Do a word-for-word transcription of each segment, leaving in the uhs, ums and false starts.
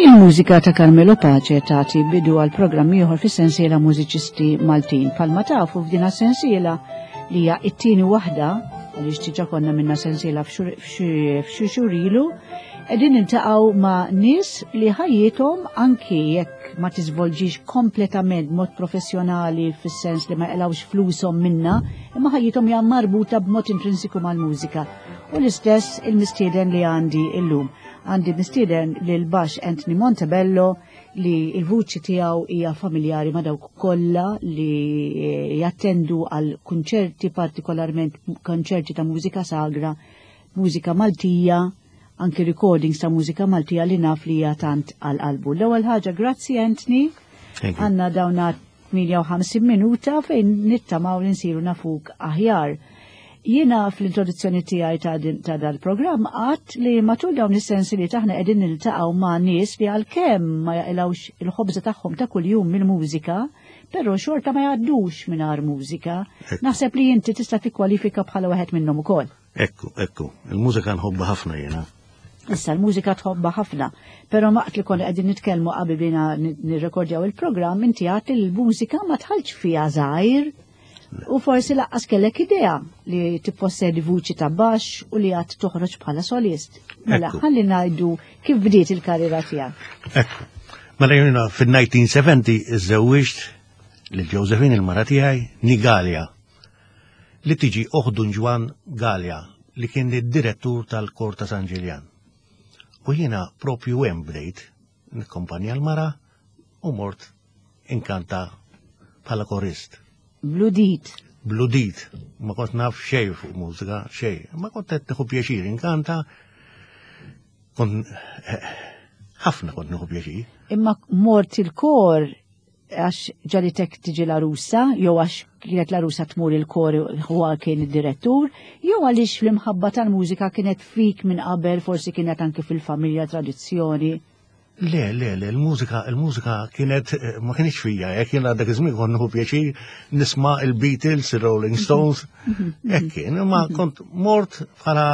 Il-mużika ta' Carmelo Pace tagħti bidu għal programm ieħor fis-sensiela Mużiċisti Maltin. Bħalma tafu, f'din sensiela li hija t-tieni waħda, għaliex diġà konna għamilna sensiela f'xi xhur ilu, qegħdin niltaqgħu ma' nies li ħajjithom, anki jekk ma tiżvolġix kompletament mod professjonali fis-sens li ma jaqilgħux flushom minna, imma ħajjithom hija marbuta b'mod intrinsiku mal-mużika. U l-istess il-mistieden li għandi illum. Għandi mistieden lil baxx Anthony Montebello, li il-vuċi tiegħu hija familjari ma' dawk kollha li jattendu għal kunċerti, partikolarment konċerti ta' mużika sagra, mużika Maltija, anki recordings ta' mużika Maltija li naf li hija tant għal qalbu. L-ewwel ħaġa, grazzi, Anthony. Għandna dawna tmienja u ħamsin minuta fejn nittamaw li nsiru nafuk aħjar. Jiena fl-introduzzjoni tiegħi ta' dal-programm għedt li matul dawn is-sensiliet aħna qegħdin niltaqgħu ma' nies li għalkemm ma jaqilgħux il-ħobża tagħhom ta' kuljum mill-mużika, però xorta ma jgħaddux mingħajr mużika. Naħseb li inti tista' tikkwalifika bħala wieħed minnhom ukoll. Ekku, ekku, il-mużika nħobbha ħafna jiena. Issa l-mużika tħobbha ħafna, però waqt li konna qegħdin nitkellmu qabel bdejna nirrekordjaw il-programm, inti għedt li l-mużika ma dħaltx fiha żgħir. U forsi lanqas kellek idea li tippossedi vuċi ta' baxx u li għad toħroġ bħala solist. Mela, ħalli ngħidu kif bdiet il-karriera tiegħek. Ekku. Mela jiena fil-elf disa' mija u sebgħin iżżewwiġt lil Josephine, il-mara tiegħi, née Galea, li tiġi oħt Dun Ġwann Galea, li kien id-direttur tal-Kor ta' San Ġiljan. U jiena propju hemm bdejt nikkumpanja l-mara u mort inkanta bħala korist. Bl-udit. Bl-udit. Ma kont naf xej fuq mużika, xej. Ma kont qed nieħu pjaċir inkanta. Kont ħafna kont nieħu pjaċir. Imma mort il-kor għax ġagħlitek tiġi l-għarusa, jew għax kienet l-għarusa tmur il-kor, huwa kien id-direttur, jew għaliex fl-imħabba tal-mużika kienet fik minn qabel, forsi kienet anke fil-familja tradizzjoni? Le, le, le, il-mużika, il-mużika kienet, ma kienx fija, jekk jiena dak iż-żmien kont nieħu pjaċir nisma' il-Beatles, il-Rolling Stones, hekk kien, ma kont mort bħala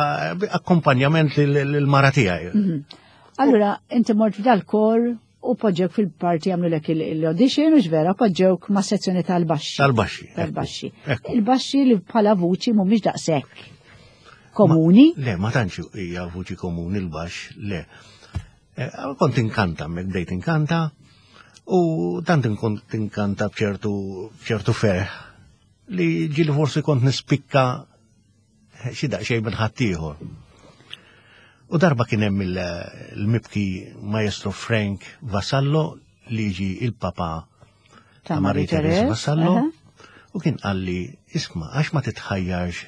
akkompanjament lill-mara tiegħi. Allura, inti mort f'dal kor u poġġewk fil-parti, għamlulek l-audition u ġvera poġġewk ma' sezzjoni tal-baxxi. Tal-baxxi. Tal-baxxi. Il-baxxi li bħala vuċi mhumiex daqshekk komuni. Le, ma tantx hija vuċi komuni l-baxx, le. Kont inkanta, mek bdejt inkanta, u tant kont inkanta bċertu bċertu ferħ li ġieli forsi kont nispikka xi daqsxejn minn ħaddieħor. U darba kien hemm il-mibki maestro Frank Vassallo, li ġi il-papa ta' Marie Therese Vassallo, u kien qalli, "Isma', għax ma titħajjarx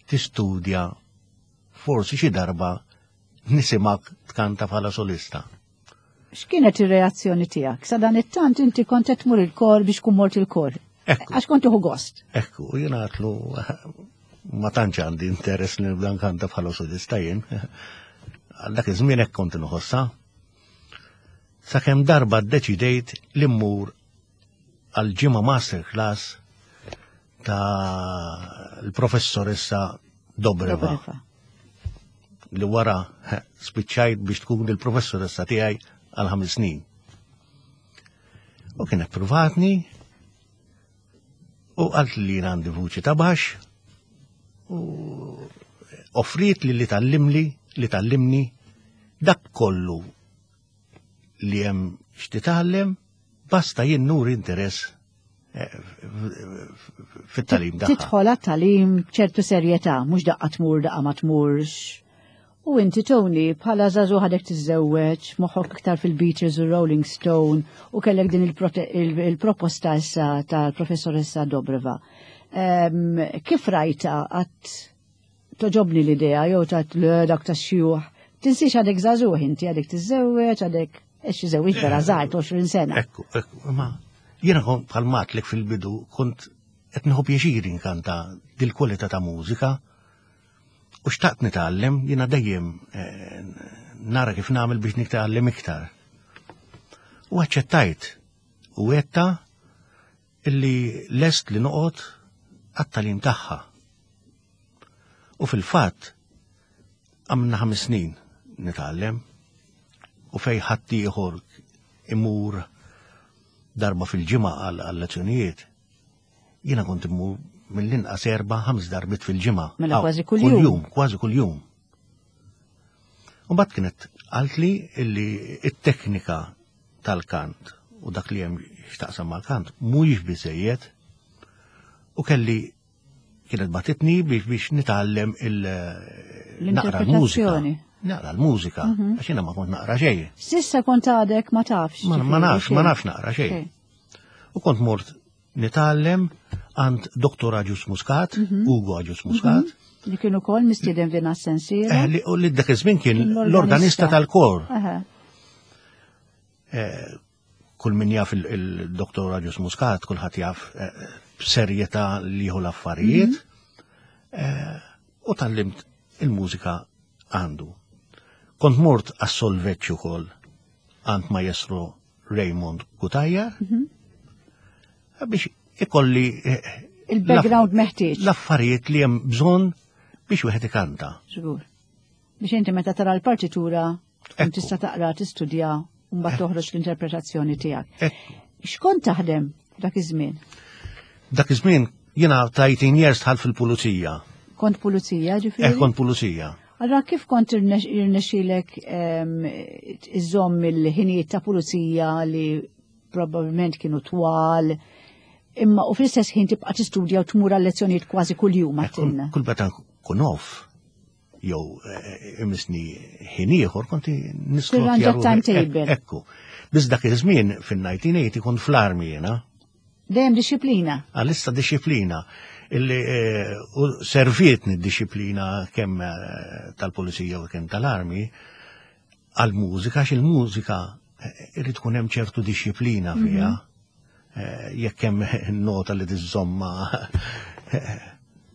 tistudja, forsi xi darba nisimgħek tkanta bħala solista?" X'kienet ir-reazzjoni tiegħek? Sa dan it-tant inti kont qed tmur il-kor biex kun mort il-kor. Għax kont tieħu gost. Ekku, jiena għedtlu ma tantx għandi interess li nibda nkanta bħala solista jien. Għal dak iż-żmien hekk kont inħossa. Sakemm darba ddeċidejt li mmur għal ġimgħa masterclass ta' l-professoressa Dobreva, li wara spiċċajt biex tkun il-professoressa tiegħi għal ħames snin. U kienet provatni u qalt li għandi vuċi ta' baxx u offriet li li tgħallimli li tgħallimni dak kollu li hemm x'titgħallem, basta jien nuri interess eh, fit-tagħlim tagħha. Tidħol għat-tagħlim ċertu serjetà, mhux daqqa tmur, daqqa ma tmurx. U inti, Tony, bħala żagħżugħ għadek tiżżewweġ, moħħok iktar fil-Beatles u Rolling Stone, u kellek din il-proposta issa tal-professoressa Dobreva. Kif rajta għedt togħġobni l-idea jew għedt le, dak ta' xjuħ? Tinsiex għadek żagħżugħ inti, għadek tiżżewweġ, għadek eċi żewġ vera żgħir, għoxrin sena. Ekku, ekku, ma jiena kont, bħalma għedtlek fil-bidu, kont qed nieħu pjaċir inkanta dil-kwalità ta' mużika u xtaqt nitgħallem, jiena dejjem eh, nara kif nagħmel biex nitgħallem iktar. U aċċettajt u għedtha illi lest li noqgħod għat-tagħlim tagħha. U fil-fatt għamilna ħames snin nitgħallem U fej ħaddieħor imur darba fil-ġimgħa għal lezzjonijiet, jiena kont immur mill-inqas erba' ħames darbiet fil-ġimgħa. Mela kważi kuljum. Kważi kuljum. U mbagħad kienet qaltli illi it-teknika tal-kant u dak li hemm x'taqsam mal-kant mhuwiex biżejjed u kelli kienet bagħtitni biex biex nitgħallem il naqra l-mużika. L-interpretazzjoni. Naqra l-mużika, għax jiena ma kont naqra xejn. S'issa kont għadek ma tafx. Ma ma nafx, ma xejn. nafx naqra xejn. Xejn. U kont mort nitgħallem għand Doktor Agius Muscat, Ugo Agius Muscat, Li kienu kol mistieden f'din is-sensiela. eh, li u li dak iż-żmien kien Kien l-organista tal-kor. Aha. Eh, Kull min jaf il-Doktor Agius Muscat, kulħadd jaf eh, b'serjetà li jieħu l-affarijiet. Eh, U tgħallimt il-mużika għandu. Kont mort għas-solfeġġ ukoll għand Maestro Raymond Cutajar biex ikolli eh, Il-background meħtieġ. l-affarijiet li hemm bżonn biex wieħed ikanta. Żgur. Biex inti meta tara l-partitura tkun Ekku. tista' taqra, tistudja u mbagħad toħroġ l-interpretazzjoni tiegħek. Ekku. X'kont taħdem dak iż-żmien? Dak iż-żmien jiena ta' eighteen years dħalt fil-pulizija. Kont pulizija Eh, ġifieri? kont pulizija. Allora kif kont irnex- irnexxielek ehm, iżomm il-ħinijiet ta' pulizija li probabbilment kienu twal, imma u fl-istess ħin tibqa' tistudja u tmur għal lezzjonijiet kważi kuljum Eh, Kull għattilna. kull meta nkun off jew eh, imisni ħin ieħor kont Tirranġa timetable. Ekku. Biss dak iż-żmien fin-nineteen eighty kont fl-armi jiena. Dejjem disciplina. Għalissa disciplina illi eh, u servietni d-disciplina kemm eh, tal-pulizija u kemm tal-armi għal-mużika, għax il-mużika eh, irid tkun hemm ċertu disciplina fiha. Eh, Jekk hemm nota li tiżomma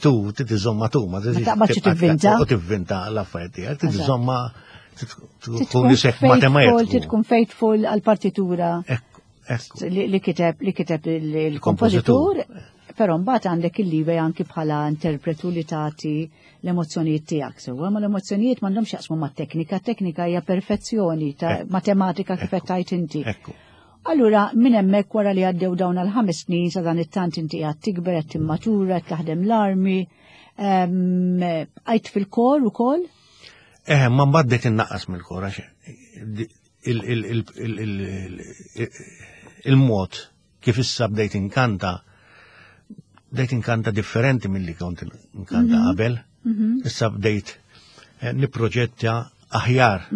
tu, tiżomma tu, ma Ma taqbadx tivvinta. U tivvinta l-affarijiet tiegħek, tiżomma tkun Tkun isek faithful, matematiku. tkun faithful għal-partitura Ekku, ekku. li li kiteb li kiteb il- il-kompożitur, però mbagħad għandek il-leeway anki bħala interpretu li tagħti l-emozzjonijiet tiegħek sewwa, ma l-emozzjonijiet m'għandhomx jaqsmu mat-teknika, teknika hija perfezzjoni ta' Ekku. matematika kif qed tgħid inti. Ekku. Allura, minn hemmhekk wara li għaddew dawn għal ħames snin sa dan it-tant inti qed tikber, qed timmatura, qed taħdem l-armi, ehm, għajt fil-kor ukoll? Eh, ma mbagħad bdejt innaqqas mill-kor għax il- il- il- il- il- il-mod kif issa bdejt inkanta bdejt inkanta differenti milli kont inkanta qabel. Issa bdejt eh, nipproġetta aħjar.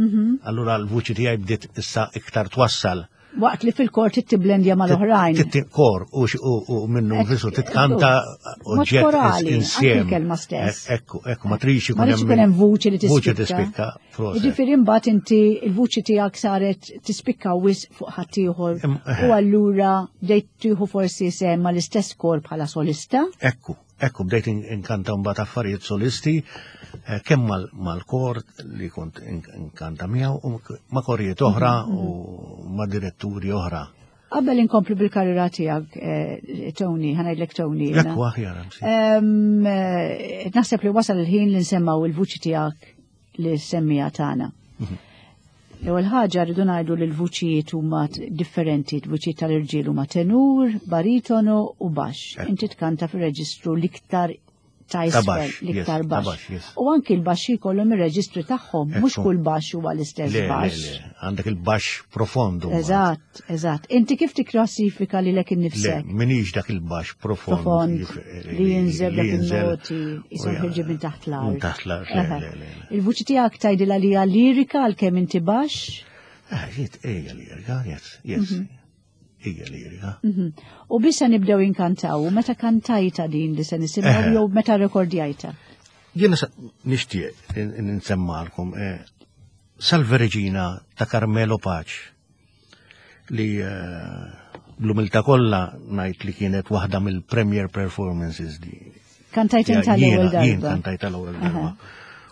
Allura l-vuċi tiegħi bdiet issa iktar twassal. Waqt li fil-kor tittiblendja mal-oħrajn. Titti kor u x- u u minnu Ek- nfisu titkanta Mod oġġett korali, anki insiem. l-kelma stess. Eh, Ekku, ekku, ma trix Ma ikun rridx ikun hemm vuċi li Vuċi tispikka. tispikka, proset. Jiġifieri mbagħad inti il-vuċi tiegħek saret tispikka wisq fuq ħaddieħor Em, eh. u allura bdejt tieħu forsi sehem mal-istess kor bħala solista. Ekku, ekku, bdejt in- inkanta mbagħad affarijiet solisti, eh, kemm mal- mal-kor li kont in- inkanta miegħu u ma' korijiet oħra u ma' diretturi oħra. Qabel inkomplu bil-karriera tiegħek, eh, Tony, ħa ngħidlek Tony. jiena. Ekku aħjar, msi. Em, eh, Naħseb li wasal il-ħin li nsemmaw il-vuċi tiegħek li semmija tagħna. L-ewwel ħaġa rridu ngħidu li l-vuċijiet huma t- differenti, l-vuċijiet tal-irġiel huma tenur, baritono u baxx. Ekku. Inti tkanta fir-reġistru l-iktar ta' Ta' isfel, baxx, yes, l-iktar ta' baxx. baxx, yes. U anki l-baxxi jkollhom ir-reġistri tagħhom, mhux Ekku. kull baxx huwa l-istess Le, le, baxx. le, għandek il-baxx profondu. mbagħad. Eżatt, eżatt. Inti kif tikklassifika lilek Le, innifsek? minix dak il-baxx profond. Profond li jinżel li dak jinżel il-noti, jisom u ja- ħirġi minn taħt l-art. Minn taħt l-art, le, Aha. le, le, le. Il-vuċi tiegħek tgħidilha li hija lirika għalkemm inti baxx? Eh, jiet, ejja lirika, yes, yes. Ejja lirika. Mhm. U bissa nibdew inkantaw, u meta kantajta din li se nisimgħu Eħe. jew meta rekordjajta? Jiena sa- nixtieq in- in- nsemmalkom eh, Salve Regina ta' Carmelo Pace li eh, bl-umiltà kollha ngħid li kienet waħda mill-premier performances li Kantajt inta l-ewwel Jiena- Jien darba. kantajta l-ewwel darba.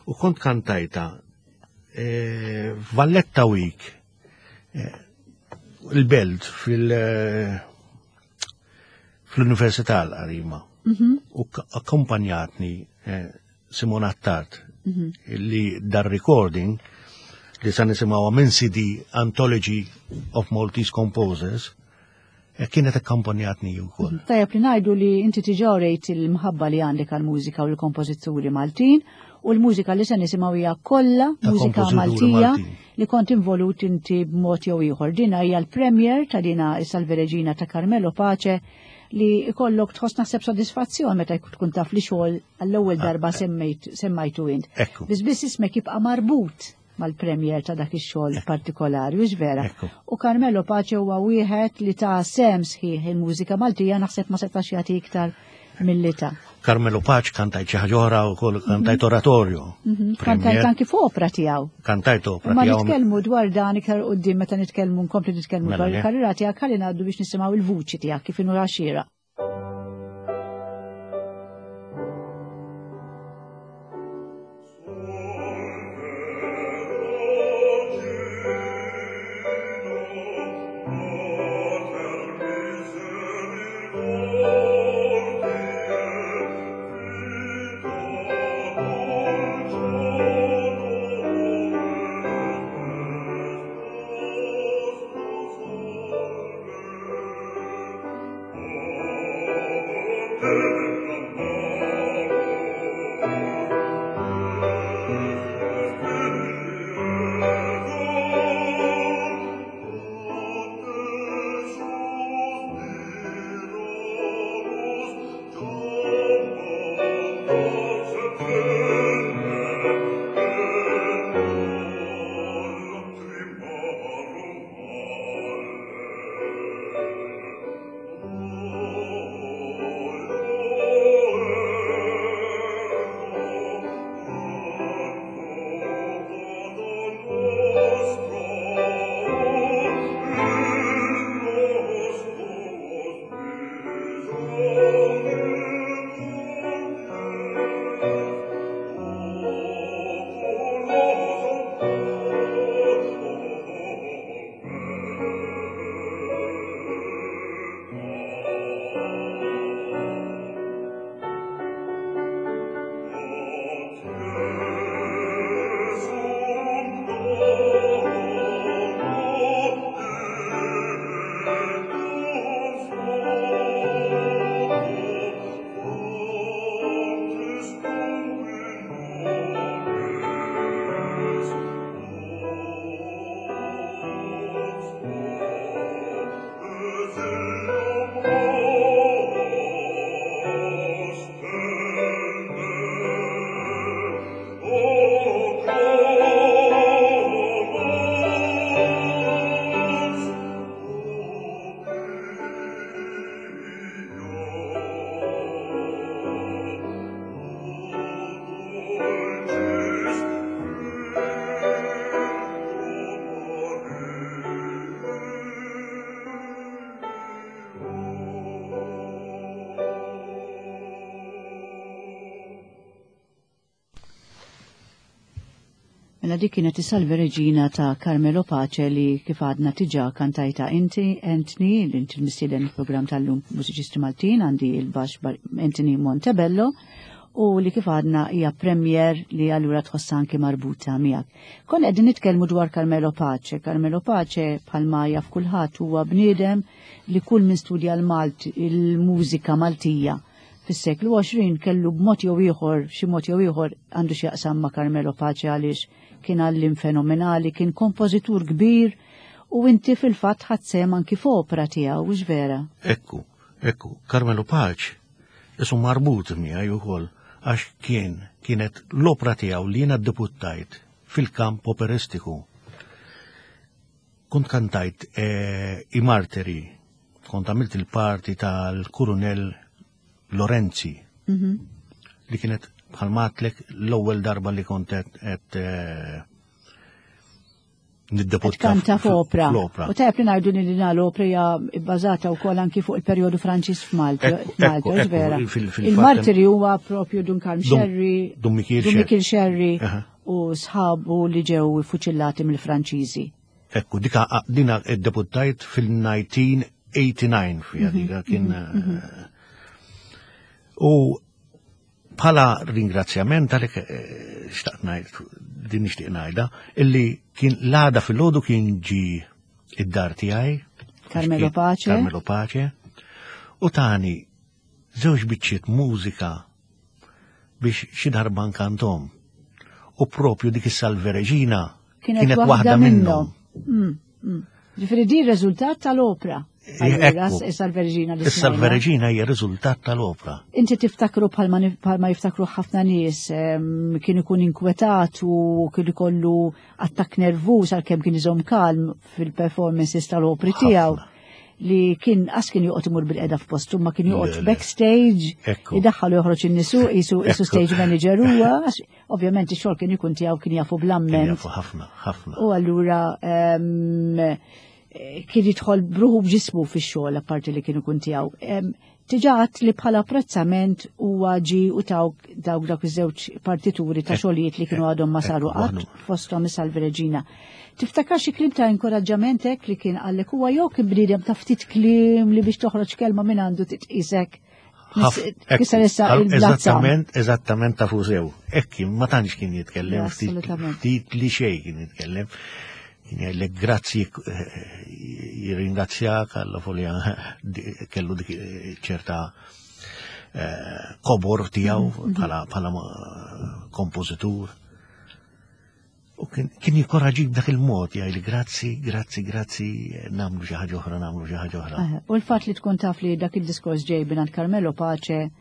U kont kantajta eh, Valletta Week eh, il-Belt fil- eh, fl-Università l-Arima. U k- akkompanjatni eh, Simon Attard li dar recording li sa nisimgħuha minn C D Anthology of Maltese Composers, eh, kienet akkompanjatni wkoll. Tajjeb li ngħidu li inti diġà rejt il-mħabba li għandek għal-mużika u l-kompożituri Maltin u l-mużika li se nisimgħu hija kollha ta' mużika kompożituri Maltija Maltin. li kont involut inti b'mod jew ieħor. Dina hija l-premier ta' dina is-Salve Regina ta' Carmelo Pace li ikollok tħoss naħseb sodisfazzjon meta tkun taf li xogħol għall-ewwel darba semmejt semmajtu int. Ekku. Biss biss ismek jibqa' marbut mal-premier ta' dak ix-xogħol partikolari, hux vera? Ekku. U Carmelo Pace huwa wieħed li ta sehem sħiħ il-mużika Maltija, naħseb ma setax jagħti iktar milli ta. Carmelo Pace kantajt xi ħaġa oħra wkoll, kantajt oratorju. Mhm. Kantajt anki f'opra tiegħu. Kantajt opra Ma tiegħu. nitkellmu dwar dan iktar quddiem meta nitkellmu nkompli nitkellmu Mela, dwar le. il-karriera tiegħek. Ħalli ngħaddu biex nisimgħu il-vuċi tiegħek kif inhu għaxira. Mela dik kienet is-Salve Regina ta' Carmelo Pace li kif għadna diġà kantajta inti, Anthony, li inti l-mistieden il-programm tal-lum Mużiċisti Maltin, għandi il-baxx Anthony Montebello, u li kif għadna hija premier li allura tħossa anki marbuta miegħek. Konna qegħdin nitkellmu dwar Carmelo Pace. Carmelo Pace, bħalma jaf kulħadd, huwa bniedem li kull min studja l-Malt il-mużika Maltija fis-seklu għoxrin kellu b'mod jew ieħor, xi mod jew ieħor għandu x'jaqsam ma' Carmelo Pace, għaliex kien għallim fenomenali, kien kompożitur kbir u inti fil-fatt ħadt sehem anki f'opra tiegħu, hux vera? Ekku, ekku, Carmelo Pace isu marbut miegħi wkoll għax kien kienet l-opra tiegħu li jiena ddebuttajt fil-kamp operistiku. Kont kantajt eh, i Martiri, kont għamilt il-parti tal-Kurunell Lorenzi, Mhm. li kienet bħalma għedtlek l-ewwel darba li kont qed eh, niddebutta Kanta f'opra. fl-opra. U tajjeb li ngħidu li din l-opra hija bbażata wkoll anki fuq il-perjodu Franċiż f'Malta. Ekku, Malta, ekku, hux ekku, vera? fil- fil-fatt Il-Martiri huwa propju Dun Karm Dun- Xerri, Dun Mikiel Dun Xerri. Mikiel Xerri Aha. u sħabu li ġew fuċillati mill-Franċiżi. Ekku, dika dina ddebuttajt fil-elf disa' mija u tmena u tmugħin fija dika kien eh, u Bħala ringrazzjament għalek eh, xtaqt ngħid, din nixtieq ngħidha, illi kien l-għada filgħodu kien ġi id-dar tiegħi. Carmelo Pace. Carmelo Pace. U tani żewġ biċċiet mużika biex xi darba nkantom. U propju dik is-Salve Regina Kienet waħda minnhom. Mm, mm. Ġifieri di riżultat tal-opra. Allura, Ekku. Is-Salve Regina li Is-Salve smajna. Regina hija riżultat tal-opra. Inti tiftakru bħalma nif- bħalma jiftakru ħafna nies em, kien ikun inkwetat u kien ikollu attakk nervuż għalkemm kien iżomm kalm fil-performances tal-opri tiegħu li kien qas kien joqgħod imur bil-qeda f'postu ma kien joqgħod Le, le. backstage Ekku. idaħħal u joħroġ in-nies qisu qisu Ekku. stage manager huwa għax ovvjament ix-xogħol kien ikun tiegħu kien jafu Kien bl-amment. jafu ħafna, ħafna. U allura em, eh, kien jidħol bruħu b'ġismu fix-xogħol apparti li kien ikun tiegħu. Em, Diġà għedt li bħala apprezzament huwa ġi u tawk dawk dawk iż-żewġ partituri ta' Ek- xogħlijiet li kienu għadhom ma saru ekku, qatt waħdu. fosthom is-Salve Regina. Tiftakar xi kliem ta' inkoraġġament hekk li kien qallek huwa jew kien bniedem ta' ftit kliem li biex toħroġ kelma minn għandu titqisek. Ħaf- ekku, Kisser issa għal- il-blazza. Eżattament, eżattament ta' fusew. Ekki, ma tantx kien jitkellem, Le, ftit assolutament. ftit li xejn kien jitkellem. Kien jgħidlek grazzi, eh, jirringrazzjak għalla folja kellu dik eh, ċerta eh, kobor tiegħu Mhm, bħala bħala ma- kompożitur. U kien kien jikkoraġik b'dak il-mod, jgħidli grazzi, grazzi, grazzi, nagħmlu xi ħaġa oħra, nagħmlu xi ħaġa oħra. Eh, U l-fat li tkun taf li dak il-diskors ġej minn Carmelo Pace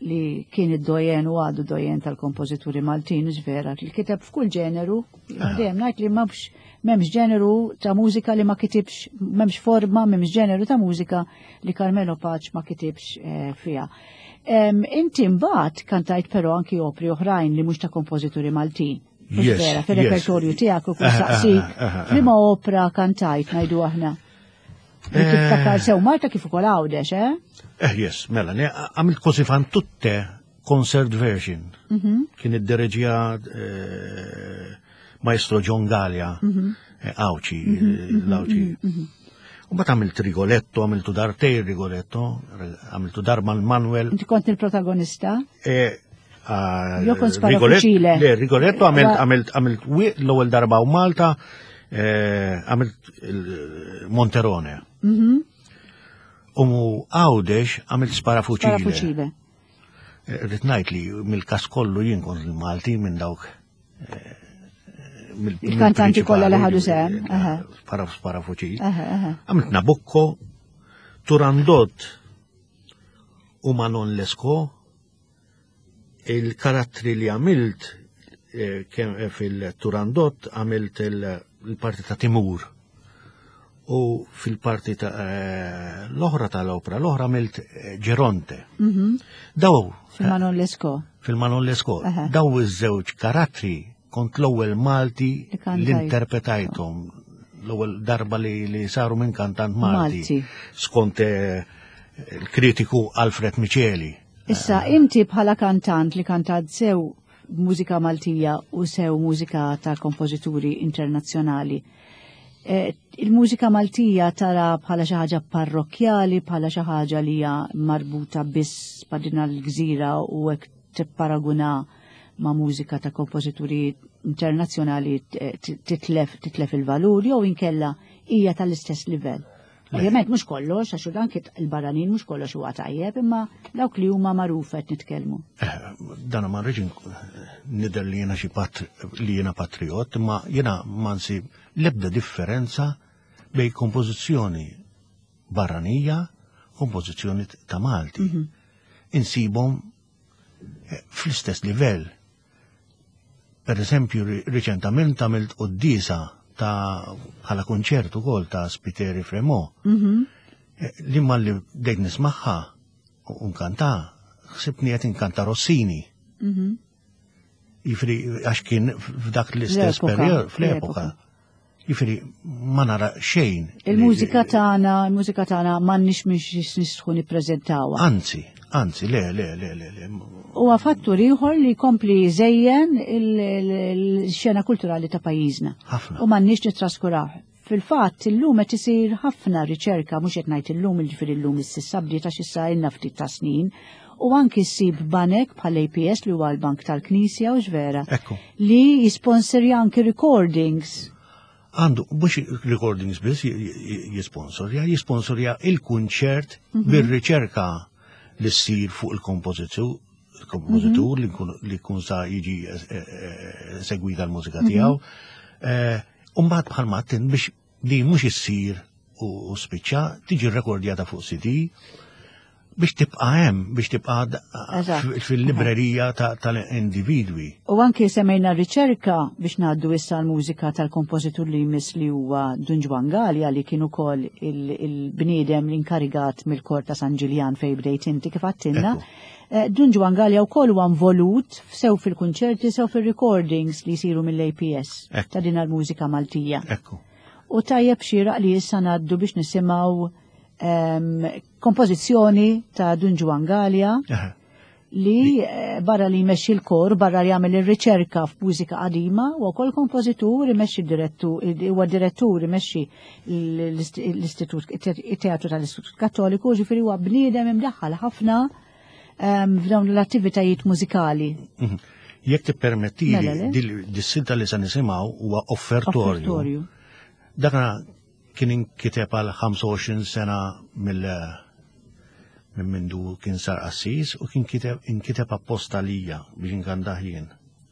li kien id-doyen u għadu doyen tal-kompożituri Maltin, vera, li kiteb f'kull ġeneru, dejjem ngħid li m'hemmx m'hemmx ġeneru ta' mużika li ma kitibx, m'hemmx forma, m'hemmx ġeneru ta' mużika li Carmelo Pace ma kitibx eh, fiha. Em, Inti mbagħad kantajt però anki opri oħrajn li mhux ta' kompożituri Maltin. Mhux Yes, vera, fil-repertorju yes. tiegħek u kull Aha, saqsik, aha, aha. liema opra kantajt ngħidu aħna. Li Eh. tiftakar sew Malta kif ukoll Għawdex, eh? Eh, yes, mela, ne, għamilt Così fan tutte concert version. Mhm. Kien id-dereġija eh, Maestro John Gallia, Mhm. eh, Għawdxi, eh, l-Għawdxi. U mbagħad għamilt Rigoletto, għamiltu darbtejn Rigoletto, għamiltu darba Manuel. Inti kont il-protagonista? Eh, ah, Jo kont spara Rigoletto- fuċile. Le, Rigoletto għamilt Wa- għamilt għamilt wi- l-ewwel darba u Malta, eh, għamilt il- Monterone. Mhm. U Għawdex għamilt Spara Sparafuċile. fuċile. Rrid ngħid li mill-kas kollu jien kont il-Malti minn dawk eh, mill- Il-kantanti kollha li ħadu sehem, mill-prinċipali, aha. Spara Sparafuċile. Aha, aha. Għamilt Nabucco, Turandot u Manon Lescaut, il-karattri li għamilt eh, kem- eh, fil-Turandot għamilt il- il-parti ta' Timur u fil-parti ta' eh, l-oħra tal-opra, l-oħra għamilt eh, Geronte. Mhm. Daw Fil-Manon Lescaut. fil-Manon Lescaut, Aha. daw iż-żewġ karattri kont l-ewwel Malti Li kantajt. li interpretajthom l-ewwel darba li, li saru minn kantant Malti. Malti. Skont eh, il-kritiku Alfred Micheli. Issa, inti bħala kantant li kantat sew mużika Maltija u sew mużika ta' kompożituri internazzjonali. Eh, Il-mużika Maltija tara bħala xi ħaġa parrokkjali, bħala xi ħaġa li hija marbuta biss ma' din l-gżira u hekk tipparaguna ma' mużika ta' kompożituri internazzjonali t- titlef titlef il-valur jew inkella hija tal-istess livell. Ovvjament mhux kollox, għax dan kit il-barranin mhux kollox huwa tajjeb, imma dawk li huma magħruf qed nitkellmu. Eh, Dan ma rridx nidher li jiena xi patri, li jiena patriot, imma jiena ma nsib l-ebda differenza bej kompożizzjoni barranija, kompożizzjoni ta' Malti. Insibhom eh, fl-istess livell. Per eżempju, ri- riċentament għamilt qoddisa ta' bħala konċert ukoll ta' Spiteri Fremont. Mhm. Eh, Li ma li bdejt nismaħħa u nkanta, ħsibni qed inkanta Rossini. Mhm. Jifri, għax kien f'dak l-istess L-epoka, periodu, fl-epoka. Jifri, ma nara xejn. li- Il-mużika tagħna, il-mużika tagħna m'għandniex mhix nistħu nippreżentawha. Anzi, anzi, le, le, le, le, le. Huwa fattur ieħor li jkompli jżejjen il- il- il-xena kulturali ta' pajjiżna. Ħafna. U m'għandniex nittraskuraw. Fil-fatt illum qed isir ħafna riċerka mhux qed ngħid illum jiġifieri illum is-sissa bdiet għax issa ilna ftit ta' snin U anki ssib banek bħal A P S li huwa l-Bank tal-Knisja u vera Ekku. li jisponsorja anki recordings. Għandu, mhux recordings biss jisponsorja, jisponsorja il-kunċert bir-riċerka li ssir fuq il-kompożitur, il-kompożitur li jkun- li jkun sa jiġi eh, eh, segwita l-mużika tiegħu. Eh, U mbagħad bħal mattin biex di mhux issir u u spiċċa tiġi rekordjata fuq C D biex tibqa' hemm, biex tibqa' d- Eżatt. fil-librerija ta- tal-individwi. U anki semmejna riċerka biex ngħaddu issa l-mużika tal-kompożitur li jmiss, li huwa Dun Ġwann Galea, li kien ukoll il- il-bniedem l-inkarigat mill-kor ta' San Ġiljan fej bdejt inti kif għattinna. Ekku. Eh, Dun Ġwann Galea wkoll huwa involut sew fil-kunċerti sew fil-recordings li jsiru mill-A P S Ekku. ta' din il-mużika Maltija. Ekku. U tajjeb xieraq li issa ngħaddu biex nisimgħu em, kompożizzjoni ta' Dun Ġwann Galea Eħe. li eh, barra li jmexxi l-kor, barra li jagħmel ir-riċerka f'mużika qadima, u wkoll kompożitur, imexxi direttur, huwa direttur, imexxi l-istitut, it-teatru tal-Istitut Kattoliku, ġifieri huwa bniedem imdaħħal ħafna em, f'dawn l-attivitajiet mużikali. Mhm. Jekk tippermettili, Mela, le. dis-silta li se nisimgħu huwa offertorju. Offertorju. Dakna kien inkiteb għal ħamsa u għoxrin sena mill minn mindu kien sar qassis u kien kiteb inkiteb apposta lija biex inkantah jien.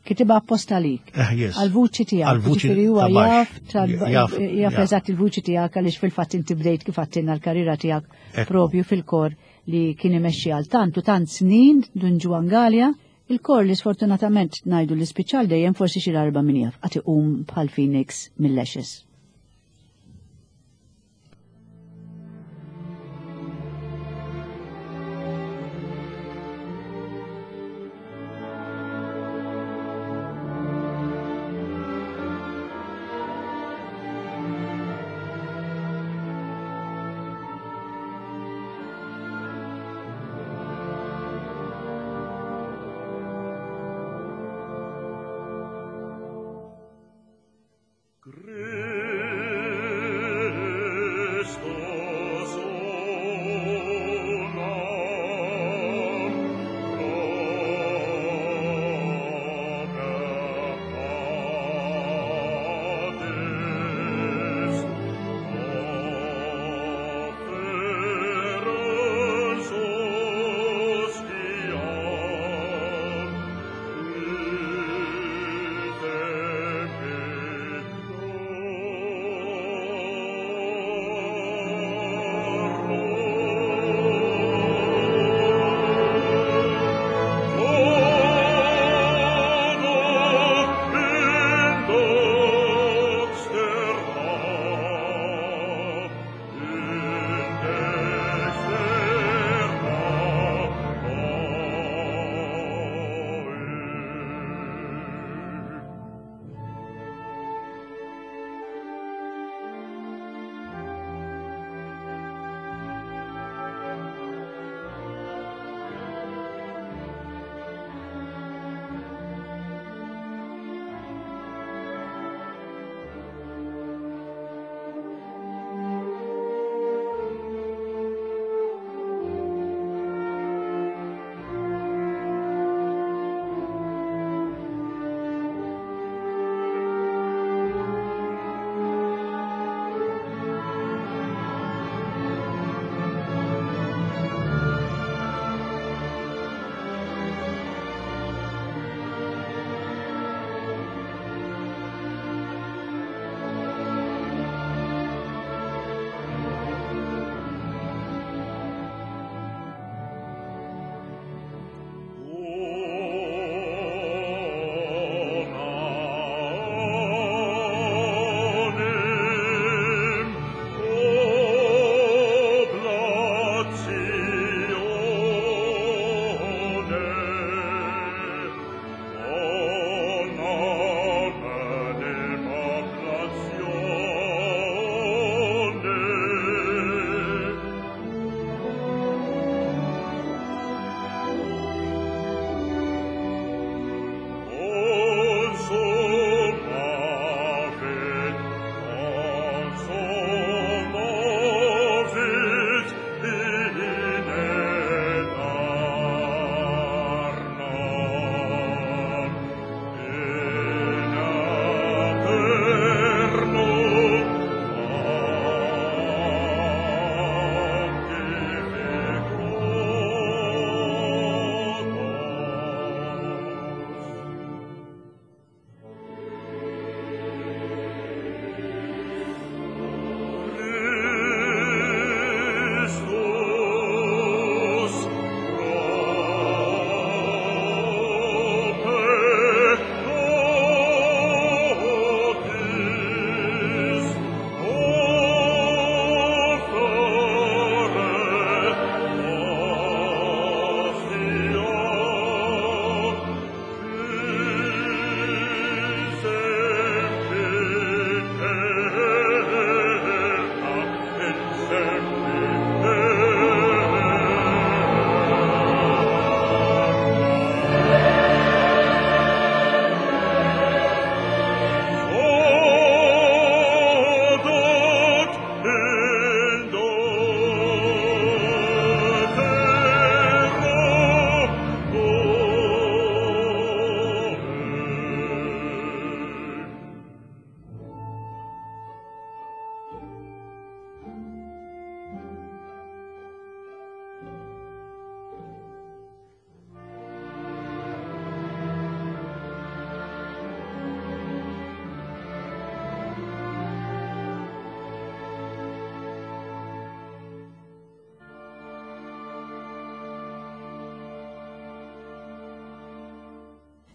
Kitibha apposta lik. Eh, yes. Għal-vuċi tiegħek. Għal-vuċi Ġifieri huwa ta' baxx. jaf tal- Jaf, jaf jaf. eżatt il-vuċi tiegħek, għaliex fil-fatt inti bdejt kif għattinna l-karriera tiegħek Ekku. propju fil-kor li kien imexxi għal tant u tant snin Dun Ġwann Galea. Il-kor li sfortunatament ngħidu li spiċċal dejjem, forsi xi darba, min jaf, għad iqum bħal Phoenix mill-ashes. Christus.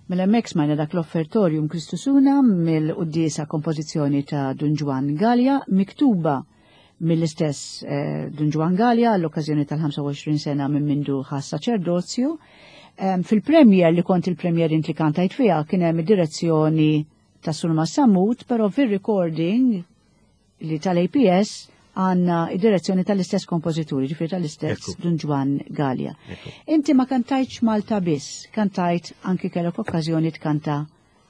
Mela hemmhekk smajna dak l-Offertorium Christus Una mill-quddiesa kompożizzjoni ta' Dun Ġwann Galea, miktuba mill-istess eh, Dun Ġwann Galea għall-okkażjoni tal-ħamsa u għoxrin sena minn mindu ħa saċerdozju. Em, Fil-premier li kont il-premier int li kantajt fiha kien hemm id-direzzjoni ta' Surmast Sammut, però fil-recording li tal-A P S għandna id-direzzjoni tal-istess kompożituri, ġifieri tal-istess Ekku. Dun Ġwann Galea. Ekku. Inti ma kantajtx Malta biss, kantajt anki kellek okkażjoni tkanta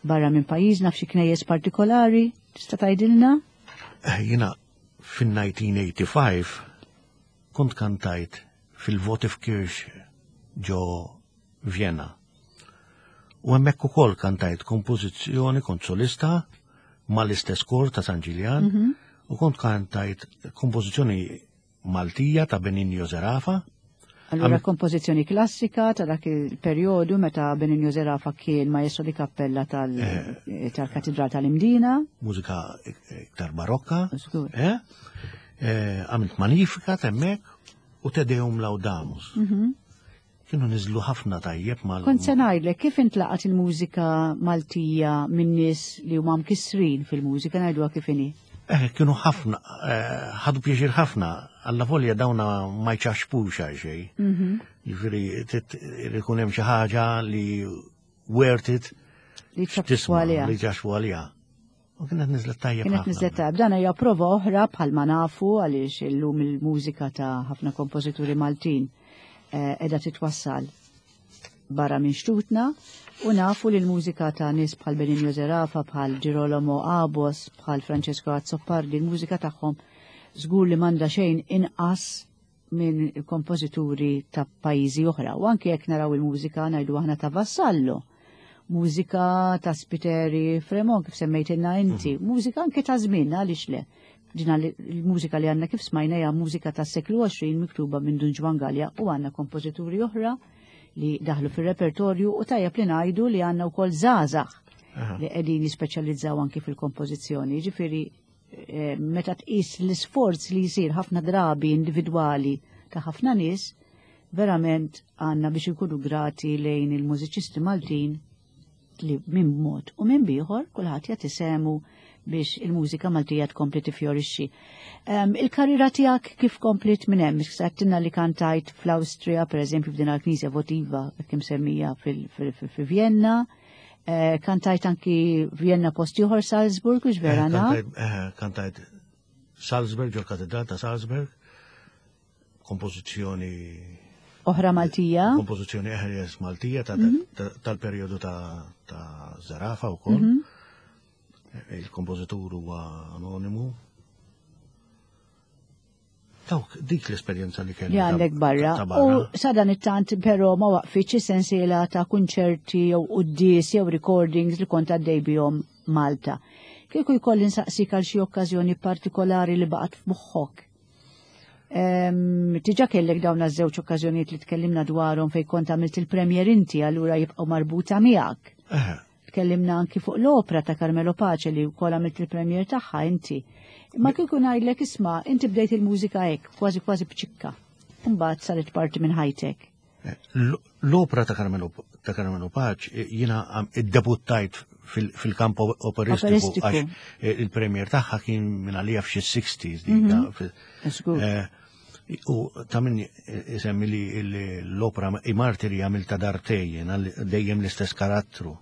barra minn pajjiżna f'xi knejjes partikolari, tista' tgħidilna? Eh, Jiena fin-elf disa' mija u ħamsa u tmenin kont kantajt fil-Votivkirche ġo Vienna. U hemmhekk ukoll kantajt kompożizzjoni, kont solista mal-istess kor ta' San Ġiljan, u kont kantajt kompożizzjoni Maltija ta' Benigno Zerafa. Allura Am- kompożizzjoni klassika ta' dak il-perjodu meta Benigno Zerafa kien maestro di cappella tal- tal-Katedral tal-Imdina. Mużika iktar barokka. Żgur. Eh? Eh, Għamilt Magnificat hemmhekk u Te Deum Laudamus. Kienu niżlu ħafna tajjeb mal. Kont se ngħidlek kif intlaqat il-mużika Maltija minn nies li huma mkissrin fil-mużika, ngħiduha kif inhi. Eh, kienu ħafna, eh, ħadu pjaċir ħafna, alla volja dawna ma jċaxpux għal xejn. Jiġifieri, ikun hemm xi ħaġa li worth it Li ċaxxu tisma' għaliha. li ċaxxu għaliha. U kienet niżlet tajjeb Kienet ħafna. niżlet tajjeb. Dan hija prova oħra bħalma nafu għaliex illum il-mużika ta' ħafna kompożituri Maltin eh, qiegħda titwassal barra minn xtutna u nafu li l-mużika ta' nies bħal Benigno Zerafa, bħal Girolamo Abos, bħal Francesco Azzopardi, il-mużika tagħhom żgur li m'għandha xejn inqas minn kompożituri ta' pajjiżi oħra. U anke jekk naraw il-mużika, ngħidu aħna, ta' Vassallo, mużika ta' Spiteri Fremont kif semmejtilna inti, mużika anke ta' żmien, għaliex le. Dina li- il-mużika li għandna kif smajna hija mużika ta' seklu għoxrin miktuba minn Dun Ġwann Galea u għandna kompożituri oħra li daħlu fil-repertorju u tajjeb li ngħidu li għandna wkoll żgħażagħ li qegħdin jispeċjalizzaw anki fil-kompożizzjoni. Ġifieri eh, meta tqis l-isforz li jsir ħafna drabi individwali ta' ħafna nies, verament għandna biex ikunu grati lejn il-mużiċisti Maltin li minn mod u minn bieħor kulħadd jagħti sehmu biex il-mużika Maltija tkompli tifjorixxi. Um, il-karriera tiegħek kif komplit minn hemm? Għedtilna li kantajt fl-Awstrija, per eżempju, f'din il-Knisja Votiva kif semmija fil-Vienna. Eh, kantajt anki Vienna post ieħor, Salzburg, u vera Eh, naf? kantajt- eh, Kantajt Salzburg, ġo katedral ta' Salzburg, kompożizzjoni Oħra Maltija. Kompożizzjoni eħres Maltija ta' Mhm. ta- tal-perjodu ta' ta' Zerafa wkoll. Mhm. Il-kompożitur huwa anonimu. Dawk dik l-esperjenza li kelli Li ta' għandek barra. ta' U sadan it-tant però ma waqfitx sensiela ta' kunċerti jew quddies jew recordings li kont għaddej bihom Malta. Kieku jkolli nsaqsik għal xi okkażjoni partikolari li baqgħet f'moħħok. Em, Diġà kellek dawn iż-żewġ okkażjonijiet li tkellimna dwarhom fejn kont għamilt il-premier inti, allura jibqgħu marbuta miegħek. Eh, Tkellimna anki fuq l-opra ta' Carmelo Pace li wkoll għamilt il-premier tagħha inti. Ma kieku ngħidlek, isma', inti bdejt il-mużika hekk, kważi kważi b'ċikka. Mbagħad saret parti minn ħajtek. l- L-opra ta' Carmelo ta' Carmelo Pace eh, jiena għam- iddebuttajt fil- fil-kamp operistiku Operistiku. għax eh, il-premier tagħha kien minn għalija f'xi sixties dik. fil- Żgur. Eh, U ta' min isemmi li li l-opra I Martiri għamilta darbtejn, jiena li- dejjem l-istess karattru.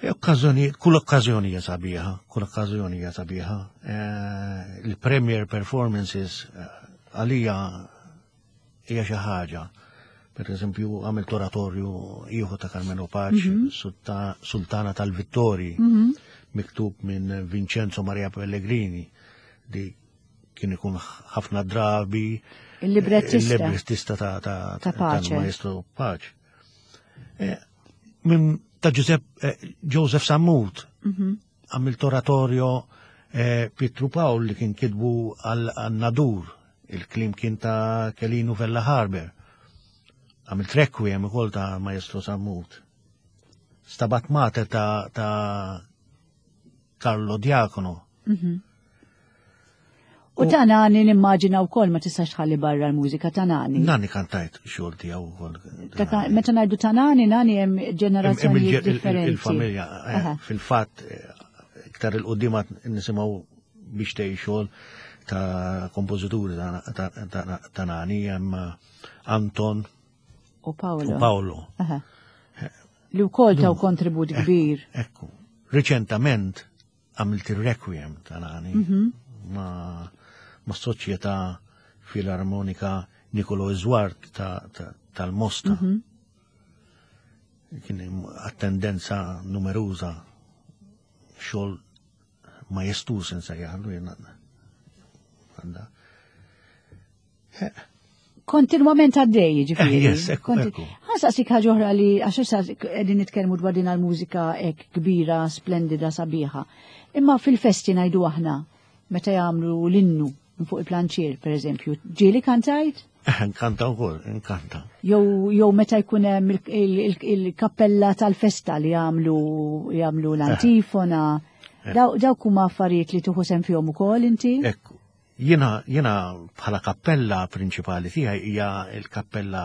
E Okkażjoni, kull okkażjoni hija sabiħa, kull okkażjoni hija sabiħa. Eh, Il-premier performances eh, għalija hija xi ħaġa. Per eżempju, għamilt oratorju ieħor ta' Carmelo Pace, Sulta- Sultana tal-Vittori, miktub minn Vincenzo Maria Pellegrini, li kien ikun ħafna drabi Il-librettista. Il-librettista ta' ta' Ta' Pace. tal-maestro Pace. Eh, Minn ta' Giuseppe, eh, Joseph Sammut, għamilt oratorio eh, Pietru Pawl li kien kitbu għal Nadur, il-kliem kien ta' Kelinu Vella Harber. Għamilt Requiem ukoll ta' Maestro Sammut. Stabat Mater ta', ta Carlo Diacono. U ta' Nani nimmaġina wkoll ma tistax tħalli barra l-mużika ta' Nani. Nani kantajt xogħol tiegħu wkoll. Meta ngħidu ta' Nani, Nani hemm ġenerazzjonijiet differenti. Il-familja, eh, fil-fatt, eh, iktar il-quddiem nisimgħu biex tgħid xogħol ta' kompożituri ta' Nani, hemm Anton u Paolo. U Paolo. Li wkoll taw kontribut kbir. Ekku. Riċentament għamilt il-Requiem ta' Nani mhm. ma' ma' Soċjetà Filarmonika Nicolo Zwart tal-Mosta. Mm -hmm. Kien attendenza numeruża, xogħol majestuż insejjaħlu jiena. Kontinwament għaddej, ġifieri. Eh, yes, ekku, ekku. Ħansaqsik ħaġa oħra li għax issa qegħdin nitkellmu dwar din il-mużika hekk kbira, splendida, sabiħa. Imma fil-festi ngħidu aħna meta jagħmlu l-innu minn fuq il-planċier, per eżempju, ġieli kantajt? Eh, nkanta wkoll, nkanta. Jew jew meta jkun hemm il-kappella tal-festa li jagħmlu jagħmlu l-antifona. Dawk huma affarijiet li tieħu sehem fihom ukoll inti? Ekku. Jiena jiena bħala kappella prinċipali tiegħi hija l-kappella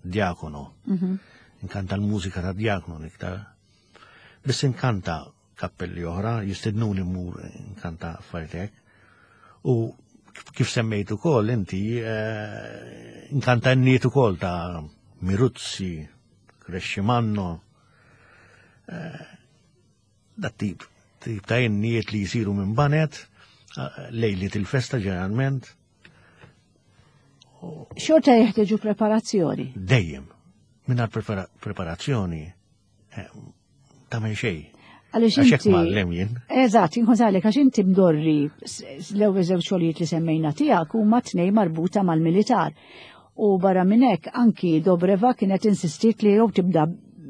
Diakono. Mhm. Inkanta l-mużika ta' Diakono iktar. Biss inkanta kappelli oħra, jistednuni mmur inkanta affarijiet hekk. U kif semmejt ukoll inti, eh, inkanta n-niet ukoll ta' Miruzzi, Crescimanno, eh, dat tip, tip ta' innijiet li jisiru minn banet, lejliet il-festa ġeneralment. Xorta jeħtieġu preparazzjoni. Dejjem. Mingħajr preparazzjoni eh, tagħmel xejn. Għaliex Għax hekk inti. mgħallem jien. Eżatt, inkun għalek għax inti mdorri l-ewwel żewġ xogħlijiet li semmejna tiegħek huma tnejn marbuta mal-militar. U barra minn hekk anki Dobreva kienet insistiet li jew tibda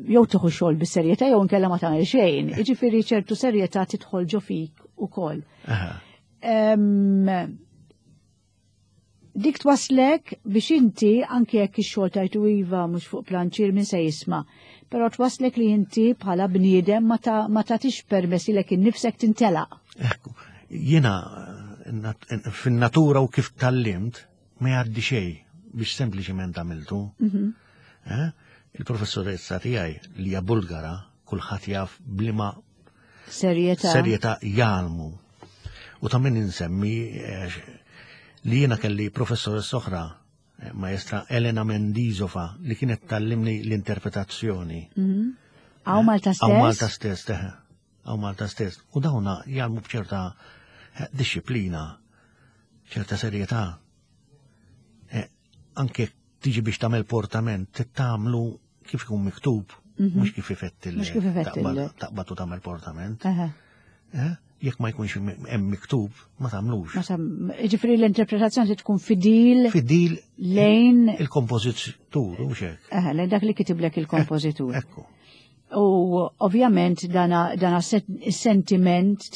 jew tieħu xogħol bis-serjetà jew inkella ma tagħmel xejn. Jiġifieri ċertu serjetà tidħol ġo fik ukoll. Aha. Em, Dik twaslek biex inti anke jekk ix-xogħol tajtu iva mhux fuq planċier min se jisma', però twaslek li inti bħala bniedem ma ta' ma tagħtix permess lilek innifsek tintelaq. Ekku, jiena nat- fin-natura u kif tallimt ma jgħaddi xejn biex sempliċement għamiltu. Mhm. Eh? Il-professoressa tiegħi li hija Bulgara, kulħadd jaf bliema Serjetà. serjetà jgħallmu. U ta' min insemmi eh, li jiena kelli professoressa oħra, eh, maestra Elena Mendizova, li kienet tallimni l-interpretazzjoni. Mhm. Hawn Malta Hawn Malta stess? stess, teħe. Hawn Malta stess. U dawna jgħallmu b'ċerta eh, disciplina, ċerta serjetà. Eh, Anke tiġi biex tagħmel portament, tittamlu kif ikun miktub, mhux kif ifettilek. Mhux kif ifettilek. Taqbad u tagħmel portament. Eħe. Eh? Jekk ma jkunx hemm miktub, ma tagħmlux. Ma sam- Ġifieri l-interpretazzjoni trid tkun fidil Fidil lejn il-kompożitur, u hekk. eħe, lejn dak li kitiblek il-kompożitur. Ekku. U ovvjament dana, dana sentiment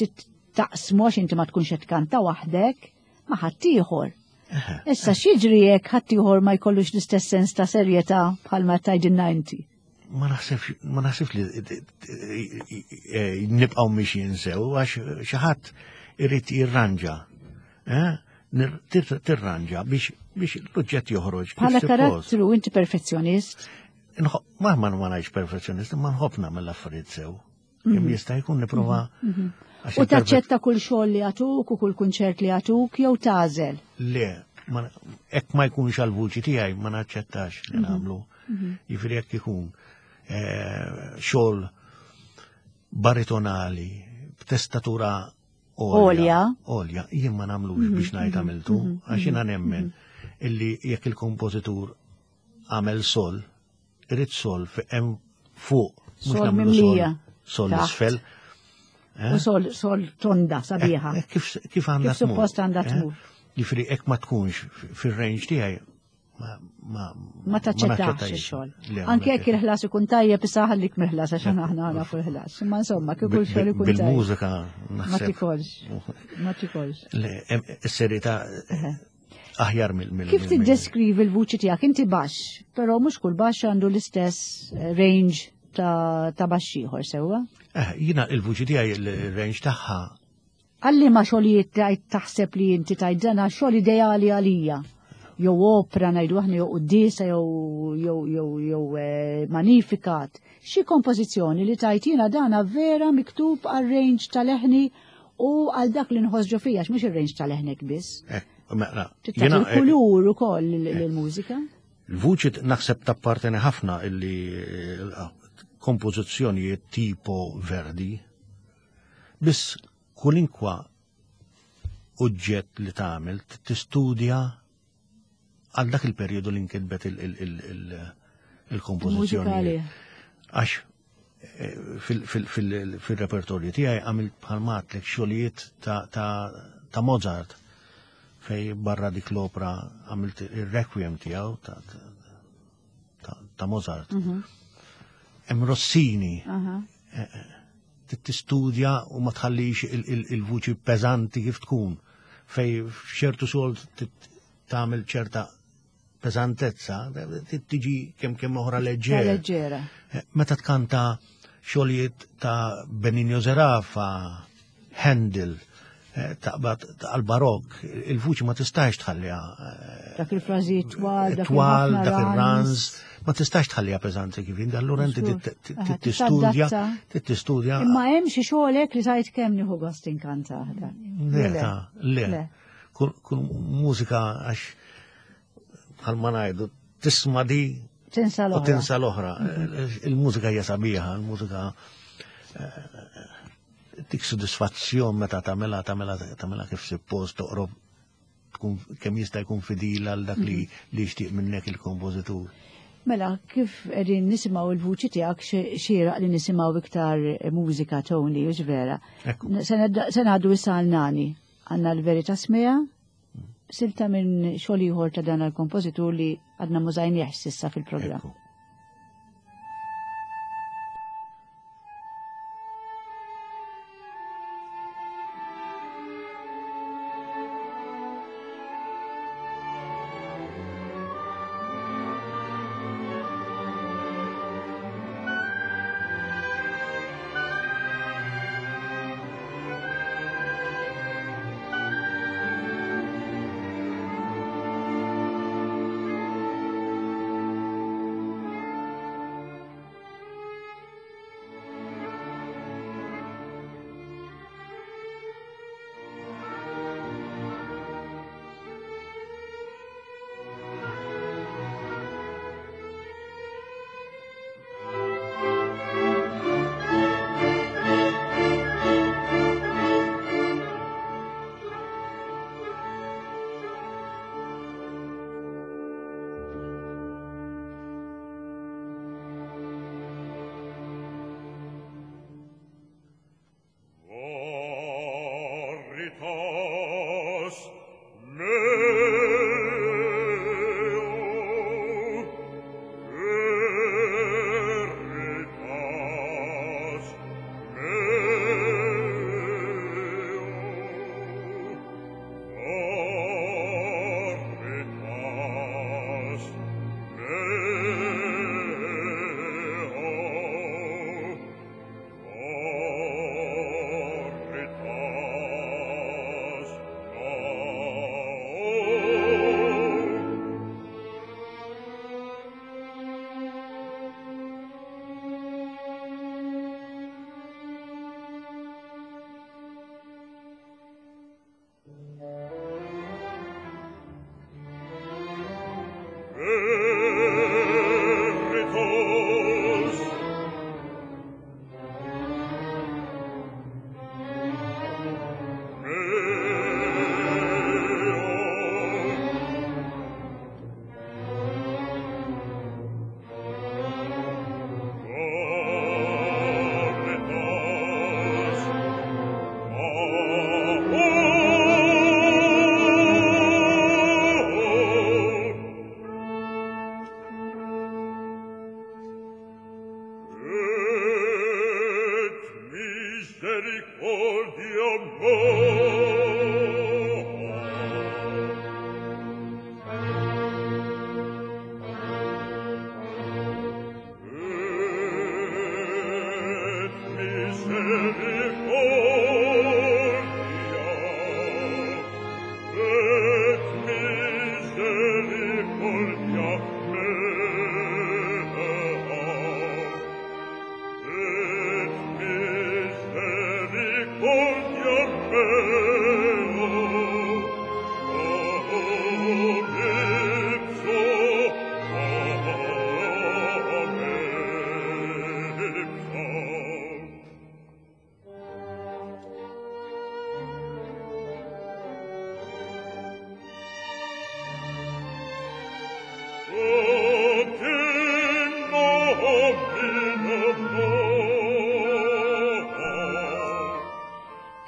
taqsmu għax inti ma tkunx qed tkanta waħdek ma' ħaddieħor. Issa x'jiġri jekk ħaddieħor ma jkollux l-istess sens ta' serjetà bħalma tgħidilna inti. Ma naħsibx ma naħsibx li nibqgħu mixjin sew għax xi ħadd irid jirranġa. Eh? Nir- tir- Tirranġa biex biex l-oġġett joħroġ. kif Bħala suppost. karattru inti perfezzjonist. Nħo- Ma ma ma ngħidx perfezzjonist, ma nħobb nagħmel l-affarijiet sew. Kemm jista' jkun nipprova għax U il-perfe- taċċetta kull xogħol li għatuk u kull kunċert li għatuk jew tagħżel. Le, ma- hekk ma jkunx għal-vuċi tiegħi ma naċċettax li nagħmlu. Jiġifieri jekk ikun eh, xogħol baritonali b'testatura Għolja. Għolja, jien ma nagħmlux biex ngħid għamiltu, għax jiena nemmen illi jekk il-kompożitur għamel sol, irid sol fi hemm fuq, mhux Sol nagħmlu mimlija. sol Taħt. isfel. U sol, sol tonda sabiħa. Eh, Kif kif għandha Kif suppost għandha eh? tmur. Jiġifieri hekk ma tkunx fir-range tiegħi ma ma Ma taċċettax naċċettajx. ix-xogħol. Le, ma Anke jekk naċċettax. il-ħlas ikun tajjeb issa ħallik mill-ħlas għax aħna nafu l-ħlas. Imma insomma kieku Bil- x-xogħol ikun tajjeb. Bil-mużika Ma naħseb. tikolx. Ma tikolx. Le, em, Is-serjetà aħjar mill mill Kif mill- tiddeskrivi l-vuċi tiegħek? Inti baxx, però mhux kull baxx għandu l-istess eh, range ta' ta' baxx ieħor sewwa. Eh, Jiena il-vuċi tiegħi il-range tagħha Għalli ma xogħlijiet tajt taħseb li inti tajt dana xogħol ideali għalija. Jew opera ngħidu aħna jew quddiesa jew jew jew jew eh, Magnificat. Xi kompożizzjoni li tajt jiena dana vera miktub għal range tal-leħni u għal dak li nħoss ġo fija, mhux ir-range tal-leħnek biss. Eh, mela, Tagħti jiena, eh, il-kulur ukoll lill-mużika. Il-vuċi naħseb tapparteni ħafna illi eh, kompożizzjonijiet tipo Verdi, biss kulinkwa oġġett li tagħmel tistudja għal dak il-perjodu li nkitbet il- il- il- il- il-kompożizzjoni. Mużikali. Għax eh, fil- fil- fil- fil-repertorju tiegħi għamilt bħalma għedtlek xogħlijiet ta' ta' ta' Mozart fej barra dik l-opera għamilt il-requiem tiegħu ta' ta' ta' Mozart. Hemm Rossini Aha. tistudja u ma tħallix il- il- il-vuċi peżanti kif tkun fej f'ċertu xogħol tagħmel ċerta peżantezza tiġi kemm kemm oħra Ta' leġġera. leġġera. Eh, Meta tkanta xogħlijiet ta' Benigno Zerafa, Handel, eh, taqbad għal-barok, il-vuċi ma tistax tħalliha eh, Dak il-frażijiet twal, dak twal, il-ħafna dak runs. ir-runs, ma tistax tħalliha peżanti kif inti, allura inti Żgur. tit- Aha, tit- tistudja, tadatta. tistudja. Imma hemm xi xogħolek li tajt kemm nieħu gost inkanta dak. Le, ta' le. Le. Kull kull mużika għax bħalma ngħidu tisma' di Tinsa u l-oħra. tinsa l-oħra. Il-mużika hija sabiħa, il-mużika eh, tik sodisfazzjon meta tagħmilha tagħmilha tagħmilha kif suppost toqrob tkun kemm jista' jkun fidila għal dak li li jixtieq minnek il-kompożitur. Mela, kif qegħdin nisimgħu il-vuċi tiegħek xi- xieraq li nisimgħu iktar mużika Tony, hux vera. Ekku. Se nedda- se ngħaddu issa għal Nani. Għandna l-Verità Smigħa, silta minn xogħol ieħor ta' dan il-kompożitur li għadna m'użajniex s'issa fil-programm. Ekku. Thank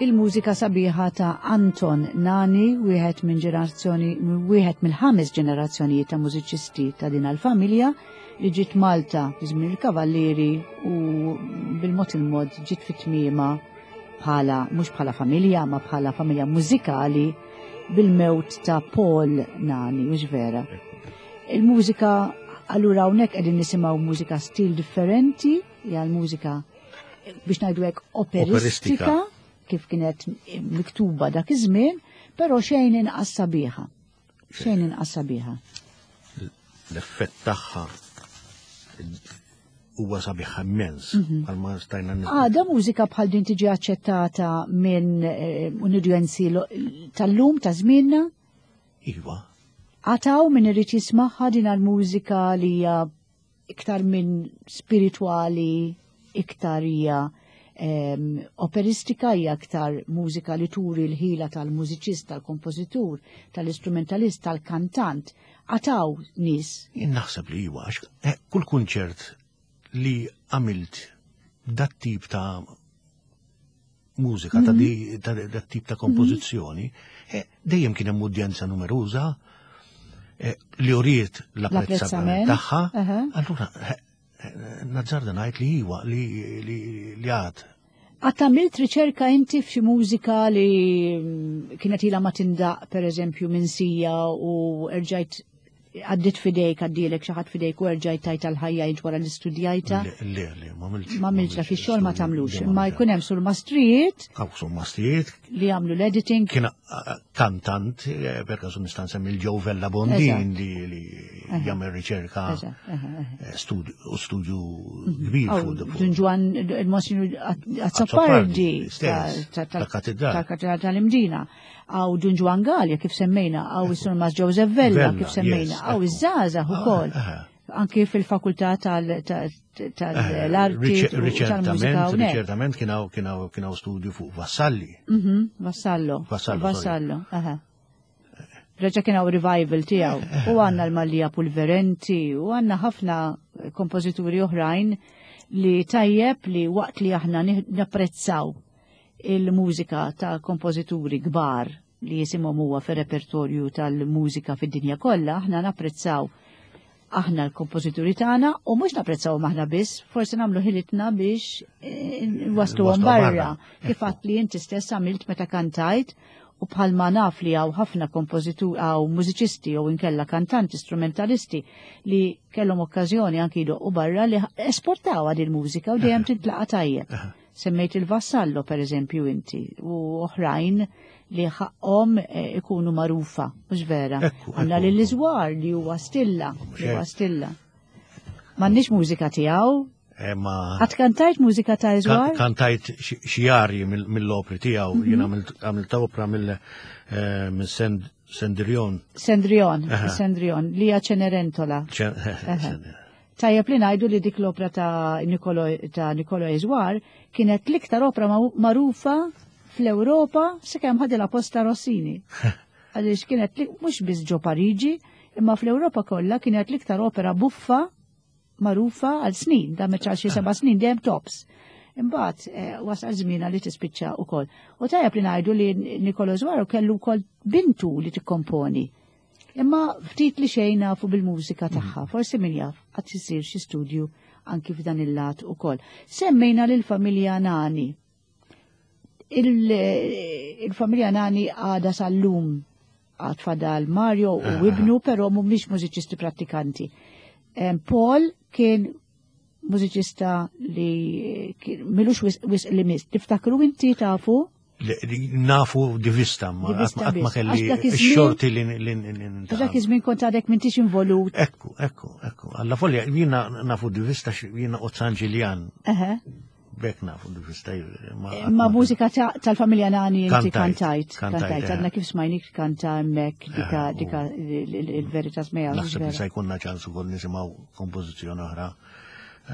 Il-mużika sabiħa ta' Anton Nani, wieħed minn ġenerazzjoni, wieħed mill-ħames ġenerazzjonijiet ta' mużiċisti ta' din il-familja li ġiet Malta fi żmien il-Kavallieri u bil-mod il-mod ġiet fit-tmiema bħala mhux bħala familja ma bħala familja mużikali bil-mewt ta' Paul Nani, mhux vera. Il-mużika allura hawnhekk qegħdin nisimgħu mużika stil differenti, hija l-mużika biex ngħidu hekk operistika, Operistika. kif kienet miktuba dak iż-żmien, però xejn inqas sabiħa. Xejn inqas sabiħa. L-effett tagħha huwa sabiħ immens, għal ma stajna nis- Għada mużika bħal din tiġi aċċettata minn eh, udjenzi lo- tal-lum ta' żmienna? Iva, Għataw min irid jismagħha din għal-mużika li hija iktar minn spiritwali, iktar hija em, operistika, hija iktar mużika li turi l-ħila tal-mużiċist, tal-kompożitur, tal-istrumentalist, tal-kantant. Għataw nies. Jien naħseb li iva, għax eh, kull kunċert li għamilt dat tip ta' mużika, ta' di- ta' dat tip ta' kompożizzjoni, eh, dejjem kien hemm udjenza numeruża eh, li uriet l-apprezzament L-apprezzament, tagħha. aha. Allura, eh, eh, nazzarda ngħid li iva, li li li għad. Għat għamilt riċerka inti f'xi mużika li mm, kienet ilha ma tindaq per eżempju minn sija u erġajt għaddit fidejk, għaddilek xi ħadd fidejk u erġajt tajt għal-ħajja int wara li studjajta. Le, le, le, ma għamiltx. Ma għamiltx dak ix-xogħol ma tagħmlux, Le, imma jkun hemm surmastrijiet Hawn surmastrijiet, li jagħmlu l-editing. kien eh, kantant, eh, per kasu nista' nsemmi l-Joe Vella Bondin Eżatt. li li jagħmel riċerka Eżatt, eħe, eħe. eh, studju u studju kbir Aw, fuq fuq- Dun Ġwann il-Monsignor Azzopardi stess, tal-Katedral. tal-Katedral tal-Imdina. Aw Dun Ġwann Galea kif semmejna, aw is-Surmas Joseph Vella Vella, kif semmejna, yes, aw ekku. iż-żgħażagħ ukoll. Ah, Anki fil-fakultà tal- tal- tal-arti Riċe- u tal-mużika Riċertament, hawnhekk. riċertament kien hawn kien hawn kien hawn studju fuq Vassalli. Mhm, Vassallo. Vassallo, sorry. Vassallo, aha. Reġa kien hawn revival tiegħu. U għandna l-Mallia Pulverenti, u għandna ħafna kompożituri oħrajn li tajjeb li waqt li aħna nih- napprezzaw il-mużika ta' kompożituri kbar li jisimhom huwa fir-repertorju tal-mużika fid-dinja kollha, aħna napprezzaw aħna l-kompożituri tagħna u mhux napprezzaw aħna biss, forsi nagħmlu ħilitna biex eh, nwasluhom Nwasluhom barra. barra. Kif għadt li inti stess għamilt meta kantajt u bħalma naf li hawn ħafna kompożitur hawn mużiċisti jew inkella kantanti, strumentalisti li kellhom okkażjoni anki jdoqqu barra li esportaw għad il-mużika u dejjem tintlaqa tajjeb. Semmejt il-Vassallo per eżempju inti u oħrajn li ħaqhom eh, ikunu marufa, mhux vera. Ekku, Għandna ekku. lil Iżwar li huwa stilla, li huwa hekk. stilla. M'għandniex mużika tiegħu. Eh, ma Għad kantajt mużika ta' Iżwar? Kan- Kantajt xi- xi arji mill- mill-opri tiegħu, Mhm. jien għamilt għamilt opra mill eh, minn Send- Sendrion. Sendrion, Aha. Sendrion, li hija Cenerentola. Ċen- Tajjeb li ngħidu li dik l-opra ta' Nicolo ta' Nicolo Iżwar kienet l-iktar opra ma- magħrufa fl-Ewropa sakemm ħadilha posta Rossini. Għaliex kienet li mhux biss ġo Pariġi, imma fl-Ewropa kollha kienet l-iktar opera buffa magħrufa għal snin, da meċ xi seba' snin dejjem tops. Imbagħad eh, wasal żmienha li tispiċċa wkoll. U tajjeb li ngħidu li Nicolo Iżwar kellu wkoll bintu li tikkomponi. Imma ftit li xejn nafu bil-mużika tagħha, forsi min jaf qatt isir xi studju anki f'dan il-lat ukoll. Semmejna lil familja Nani. Il- Il-familja Nani għada sal-lum għad fadal Mario u ibnu, però mhumiex mużiċisti prattikanti. Em, Paul kien mużiċista li kien- milux wis, wis li mis. Tiftakru inti tafu? Li- li Nafu di vista, ma Di vista qatt ma biss. kelli Għax dak iż-żmien- x-xorti li li- li Għax dak iż-żmien kont għadek m'intix involut. Ekku, ekku, ekku. Alla folja, jiena nafu di vista, jiena od San Ġiljan, Eħe. bek nafu di vista. Ma Ma mużika ta- tal-familja Nani inti Kantajt, kantajt. kantajt, Kantajt. eh. Għadna kif smajnik kanta hemmhekk dika Eh, u- dika il-Veritas Mea. Naħseb li se jkunna ċans ukoll nisimgħu kompożizzjoni oħra eh,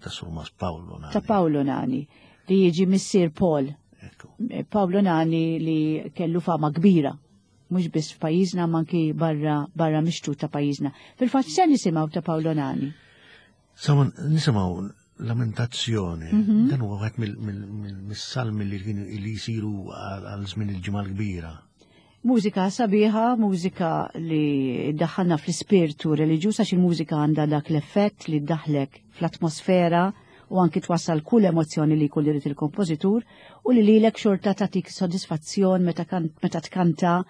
ta' Surmas Paolo Nani. Ta' Paolo Nani li jiġi missier Paul. Ekku. Paolo Nani li kellu fama kbira. Mhux biss f'pajjiżna ma anki barra barra mixtut ta' pajjiżna. Fil-fatt se nisimgħu ta' Paolo Nani. Saman nisimgħu Lamentazzjoni. Mhm. Dan huwa wieħed mill-salmi li kienu li jsiru għal żmien il-ġimgħa l-kbira. Mużika sabiħa, mużika li daħħalna fl-ispirtu reliġjuż għax il-mużika għandha dak l-effett li ddaħlek fl-atmosfera u anki twassal kull emozzjoni li jkun irid il-kompożitur u li lilek xorta tagħtik sodisfazzjon meta meta tkanta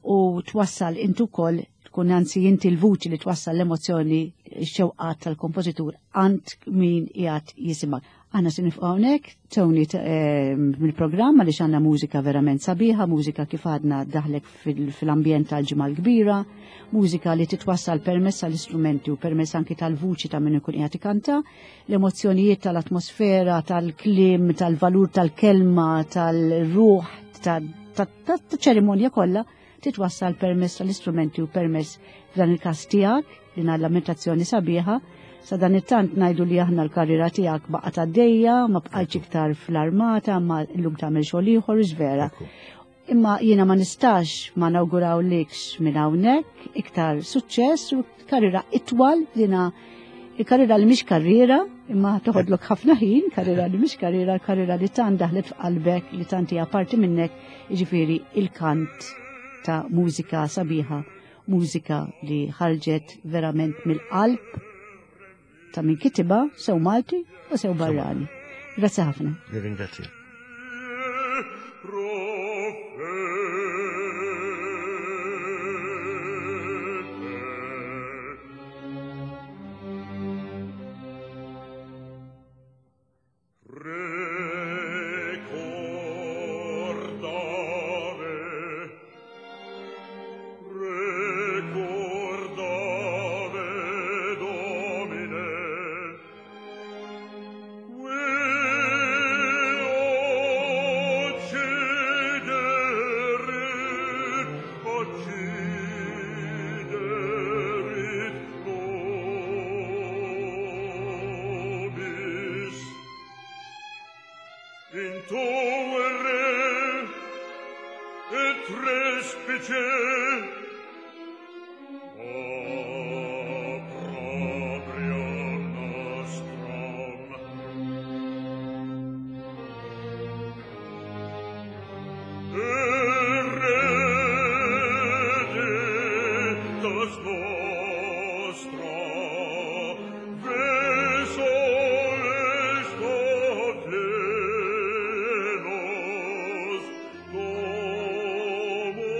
u twassal intu wkoll tkun anzi inti l-vuċi li twassal l-emozzjoni x-xewqat tal-kompożitur għand min qiegħed jisimak. Aħna se nifqgħu hawnhekk, Tony eh, mill-programm għaliex għandna mużika verament sabiħa, mużika kif għadna daħlek fil-ambjent tal-ġimgħa l-kbira, mużika li titwassal permezz tal-istrumenti u permezz anki tal-vuċi ta' min ikun qiegħed ikanta, l-emozzjonijiet tal-atmosfera, tal-kliem, tal-valur tal-kelma, tal-ruħ, ta' ċerimonja kollha titwassal permezz tal-istrumenti u permezz f'dan il-każ tiegħek din lamentazzjoni sabiħa. Sa dan it-tant ngħidu li aħna l-karriera tiegħek baqgħet għaddejja, ma bqajtx iktar fl-armata, ma llum tagħmel xogħol ieħor vera. Imma jiena ma nistax ma nawgurawlikx minn hawnhekk iktar suċċess u karriera itwal dina il-karriera li mhix karriera, imma toħodlok ħafna ħin, karriera li mhix karriera, karriera li tant daħlet f'qalbek, li tant hija parti minnek, jiġifieri il-kant ta' mużika sabiħa, mużika li ħarġet verament mill-qalb ta' min kitibha sew Malti u sew barrani. Grazzi ħafna. Ringrazzja. Ricordare, ricordare, Domine, qui occiderit, occiderit nobis. In tuere et respice opprobrium nostrum. Heredes nostra, ve soles plenos, domus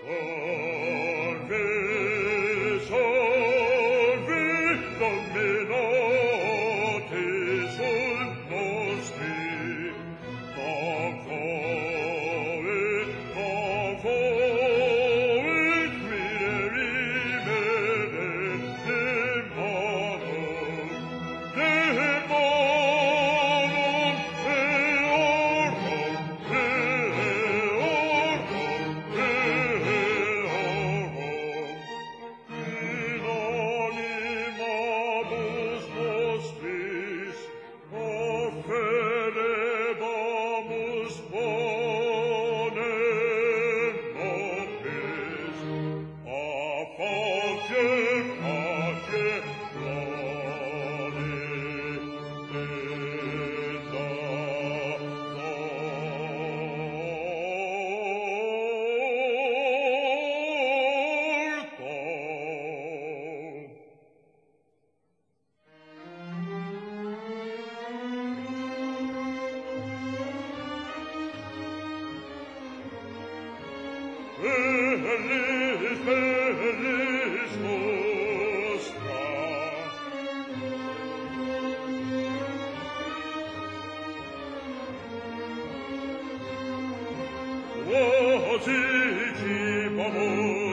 Salve, salve, Dominati sunt nostri, Tavoit, tavoit, mirimere de manum, de manum, eorum, eorum, eorum. In animabus nostris offerebamus panem nobis, a face pace plane tenda torta. Felis, felis nostra. Quasi cibamus